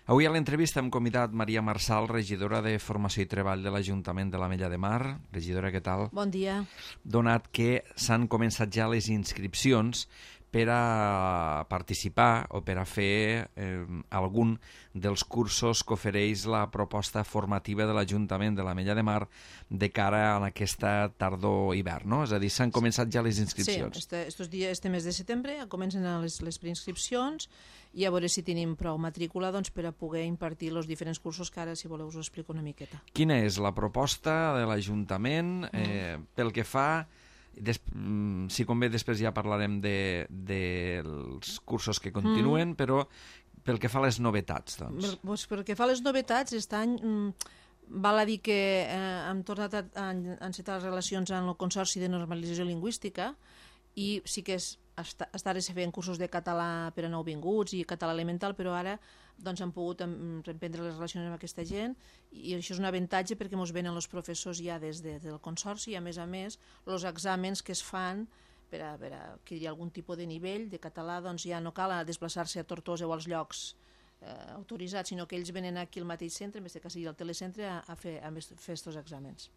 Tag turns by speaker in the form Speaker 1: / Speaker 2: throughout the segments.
Speaker 1: Avui a l'entrevista hem convidat Maria Marçal, regidora de Formació i Treball de l'Ajuntament de l'Ametlla de Mar. Regidora, què tal?
Speaker 2: Bon dia.
Speaker 1: Donat que s'han començat ja les inscripcions per a participar o per a fer algun dels cursos que ofereix la proposta formativa de l'Ajuntament de l'Ametlla de Mar de cara a aquesta tardor-hivern, no? És a dir, s'han començat ja les inscripcions.
Speaker 2: Sí, este mes de setembre comencen les preinscripcions i a veure si tenim prou matrícula per a poder impartir els diferents cursos que ara, si voleu, us ho explico una miqueta.
Speaker 1: Quina és la proposta de l'Ajuntament pel que fa... Si convé, després ja parlarem dels cursos que continuen, però pel que fa a les novetats, doncs.
Speaker 2: Pel que fa a les novetats, aquest any val a dir que hem tornat a encetar les relacions amb el Consorci de Normalització Lingüística i sí que ara se feien cursos de català per a nouvinguts i català elemental, però ara hem pogut reprendre les relacions amb aquesta gent i això és un avantatge perquè ens venen els professors ja des del Consorci i a més, els exàmens que es fan per a adquirir algun tipus de nivell de català, doncs ja no cal desplaçar-se a Tortosa o als llocs autoritzats, sinó que ells venen aquí al mateix centre, en vez que sigui al telecentre, a fer aquests exàmens.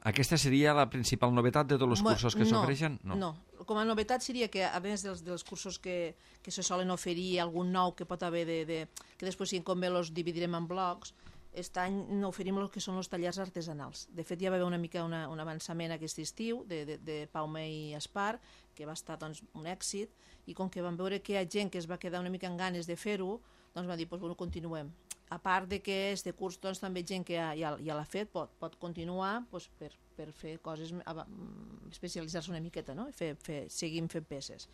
Speaker 1: Aquesta seria la principal novetat de tots els cursos que s'ofereixen?
Speaker 2: No, com a novetat seria que a més dels cursos que se solen oferir, algun nou que pot haver que després si convé els dividirem en blocs, aquest any oferim el que són els tallers artesanals. De fet ja va haver una mica un avançament aquest estiu de Paume i Espar, que va estar un èxit, i com que vam veure que hi ha gent que es va quedar una mica amb ganes de fer-ho, doncs va dir, continuem. A part de que este curs també gent que ja l'ha fet pot continuar per fer coses, especialitzar-se una miqueta, no? Seguim fent peces.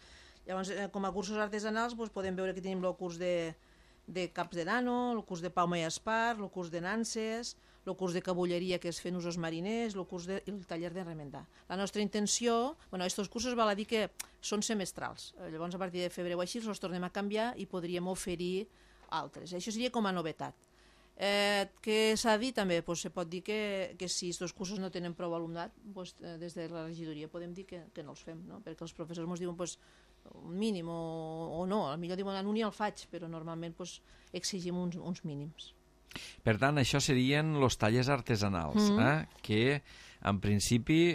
Speaker 2: Llavors, com a cursos artesanals podem veure que tenim el curs de caps de nano, el curs de Paume i Espar, el curs de nanses, el curs de cabulleria que es fent usos mariners, el taller de remendar. La nostra intenció, aquests cursos val a dir que són semestrals, llavors a partir de febrer o així els tornem a canviar i podríem oferir altres. Això seria com a novetat. Què s'ha dit també? Se pot dir que si aquests cursos no tenen prou alumnat, des de la regidoria podem dir que no els fem, no? Perquè els professors ens diuen un mínim o no, potser diuen en un i el faig, però normalment exigim uns mínims.
Speaker 1: Per tant, això serien els tallers artesanals, que en principi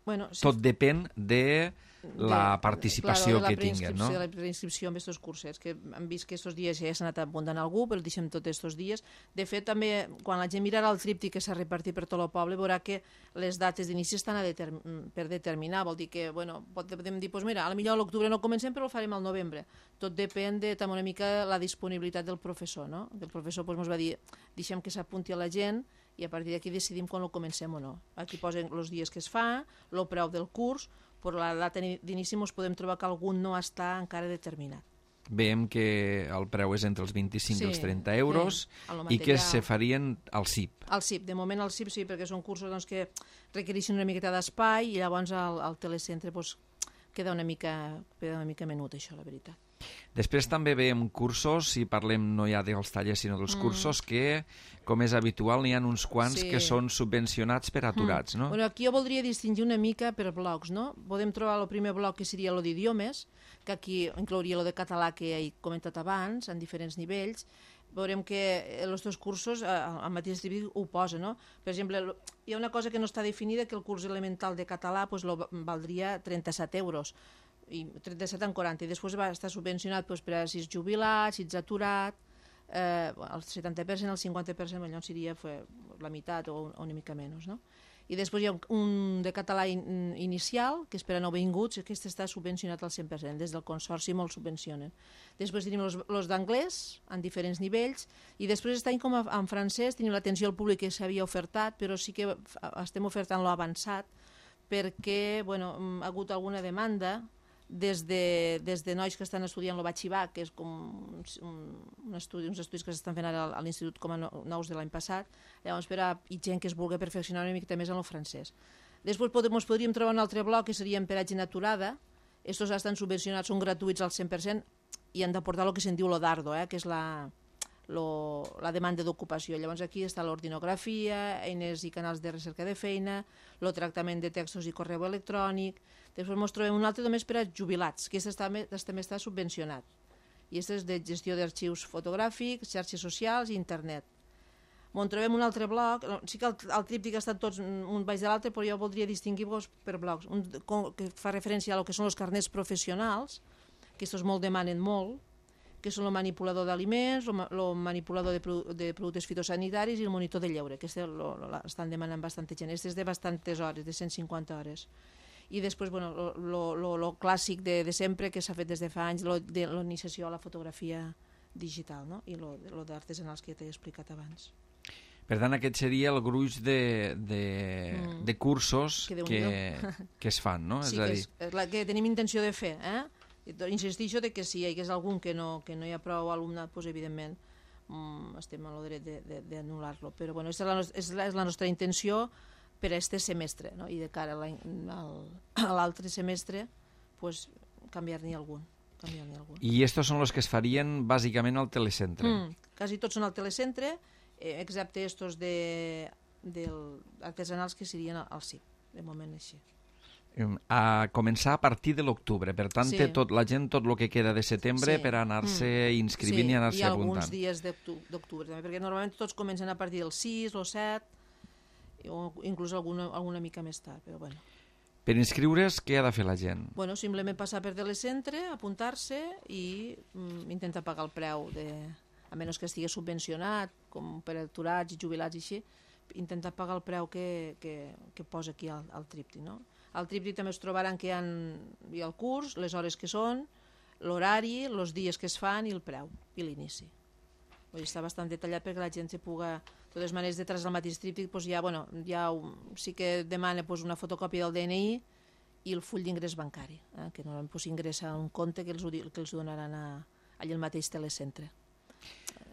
Speaker 1: tot depèn de la participació que tinguen, no?
Speaker 2: De la preinscripció en aquests cursos, que hem vist que aquests dies ja s'ha anat apuntant algú, però el deixem tots aquests dies. De fet, també, quan la gent mirarà el tríptic que s'ha repartit per tot el poble, veurà que les dates d'inici estan per determinar. Vol dir que, podem dir, mira, potser a l'octubre no comencem, però ho farem al novembre. Tot depèn de també una mica la disponibilitat del professor, no? El professor ens va dir, deixem que s'apunti a la gent i a partir d'aquí decidim quan ho comencem o no. Aquí posen els dies que es fa, el preu del curs, però la data d'inici ens podem trobar que algun no està encara determinat.
Speaker 1: Veiem que el preu és entre els 25 i els 30 euros i que se farien al CIP.
Speaker 2: Al CIP, de moment al CIP sí, perquè són cursos que requereixen una miqueta d'espai i llavors al telecentre queda una mica menut, això, la veritat.
Speaker 1: Després també veiem cursos, si parlem no ja dels tallers sinó dels cursos, que, com és habitual, n'hi ha uns quants que són subvencionats per aturats, no?
Speaker 2: Aquí jo voldria distingir una mica per blocs, no? Podem trobar el primer bloc que seria el d'idiomes, que aquí inclouria el de català que he comentat abans, en diferents nivells. Veurem que els dos cursos, al mateix distribuït ho posa, no? Per exemple, hi ha una cosa que no està definida, que el curs elemental de català valdria 37 euros, i 37 en 40, i després va estar subvencionat per a si ets jubilat, si ets aturat, el 70%, el 50%, llavors seria la meitat o una mica menys, no? I després hi ha un de català inicial, que és per a nouvinguts, que està subvencionat al 100%, des del Consorci molt subvencionen. Després tenim els d'anglès, en diferents nivells, i després està com en francès, tenim l'atenció al públic que s'havia ofertat, però sí que estem ofertant l'avançat, perquè ha hagut alguna demanda des de nois que estan estudiant el batxibat, que és com uns estudis que s'estan fent ara a l'Institut com a nous de l'any passat, llavors i gent que es vulgui perfeccionar una mica més en el francès. Després podríem trobar un altre bloc que seria per a gent aturada, estos estan subvencionats, són gratuïts al 100% i han d'aportar el que se'n diu lo dardo, que és la demanda d'ocupació. Llavors aquí està l'ordinografia, eines i canals de recerca de feina, el tractament de textos i correu electrònic. Després ens trobem un altre només per a jubilats, que també està subvencionat. i aquest és de gestió d'arxius fotogràfics, xarxes socials i internet. On trobem un altre bloc, sí que el tríptic estan tots un baix de l'altre, però jo voldria distingir-vos per blocs. Un que fa referència a lo que són els carnets professionals, que aquests molt demanen molt, que són el manipulador d'aliments, el manipulador de productes fitosanitaris i el monitor de lleure, que estan demanant bastanta gent. Este és de bastantes hores, de 150 hores. I després, bueno, lo clàssic de sempre, que s'ha fet des de fa anys, de l'iniciació a la fotografia digital, no? I lo d'artesanals que t'he explicat abans.
Speaker 1: Per tant, aquest seria el gruix de cursos que es fan, no?
Speaker 2: Sí, és la que tenim intenció de fer, Insistixo que si hi hagués algun que no hi ha prou alumnat, doncs evidentment estem a lo dret d'anul·lar-lo. Però bueno, és la nostra intenció per a este semestre, no? I de cara a l'altre semestre pues, canviar-n'hi algun.
Speaker 1: I estos són els que es farien bàsicament al telecentre?
Speaker 2: Quasi tots són al telecentre, excepte estos artesanals que serien al CIP, de moment així.
Speaker 1: A començar a partir de l'octubre, per tant té la gent tot el que queda de setembre per anar-se inscrivint i anar-se apuntant.
Speaker 2: I alguns dies d'octubre també, perquè normalment tots comencen a partir del 6 o 7 o inclús alguna mica més tard, però bueno.
Speaker 1: Per inscriure's, què ha de fer la gent?
Speaker 2: Bueno, simplement passar per telecentre, apuntar-se i intentar pagar el preu, a menys que estigui subvencionat, com per aturats i jubilats i així, intentar pagar el preu que posa aquí al tríptic, no? Al tríptic també es trobaran que hi ha el curs, les hores que són, l'horari, els dies que es fan i el preu, i l'inici. Està bastant detallat perquè la gent se puga... De totes maneres, detrás del mateix tríptic sí que demana una fotocòpia del DNI i el full d'ingrés bancari, que normalment s'ingressa a un compte que els donaran allà al mateix telecentre.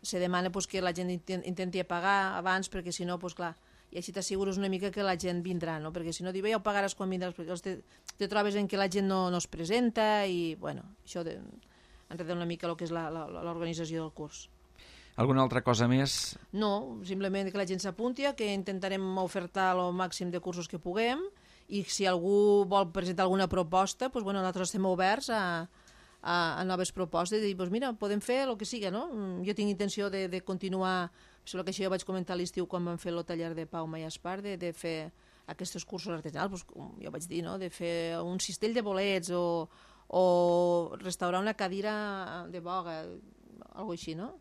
Speaker 2: Se demana que la gent intenti pagar abans perquè si no, clar, i així t'assegures una mica que la gent vindrà, no? Perquè si no, ja ho pagaràs quan vindràs, perquè te trobes en què la gent no es presenta i, bueno, això enreda una mica el que és l'organització del curs.
Speaker 1: Alguna altra cosa més?
Speaker 2: No, simplement que la gent s'apunti, que intentarem ofertar el màxim de cursos que puguem i si algú vol presentar alguna proposta, doncs, bueno, nosaltres estem oberts a noves propostes, de dir, doncs mira, podem fer el que siga, no? Jo tinc intenció de continuar, sembla que això ja vaig comentar a l'estiu quan vam fer el taller de Pau Mayaspar, de fer aquests cursos artesanals, doncs, com jo vaig dir, no? De fer un cistell de bolets o restaurar una cadira de boga, alguna així, no?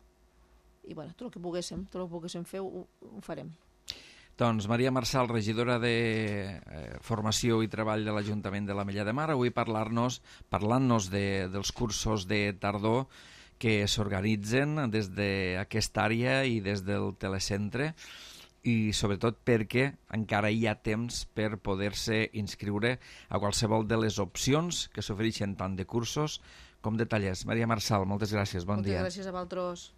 Speaker 2: I bueno, tot el que poguéssim fer ho farem.
Speaker 1: Doncs Maria Marçal, regidora de Formació i Treball de l'Ajuntament de l'Ametlla de Mar, avui parlant-nos dels cursos de tardor que s'organitzen des d'aquesta àrea i des del telecentre i sobretot perquè encara hi ha temps per poder-se inscriure a qualsevol de les opcions que s'ofereixen tant de cursos com de tallers. Maria Marçal, moltes gràcies, bon dia.
Speaker 2: Moltes gràcies a vosaltres.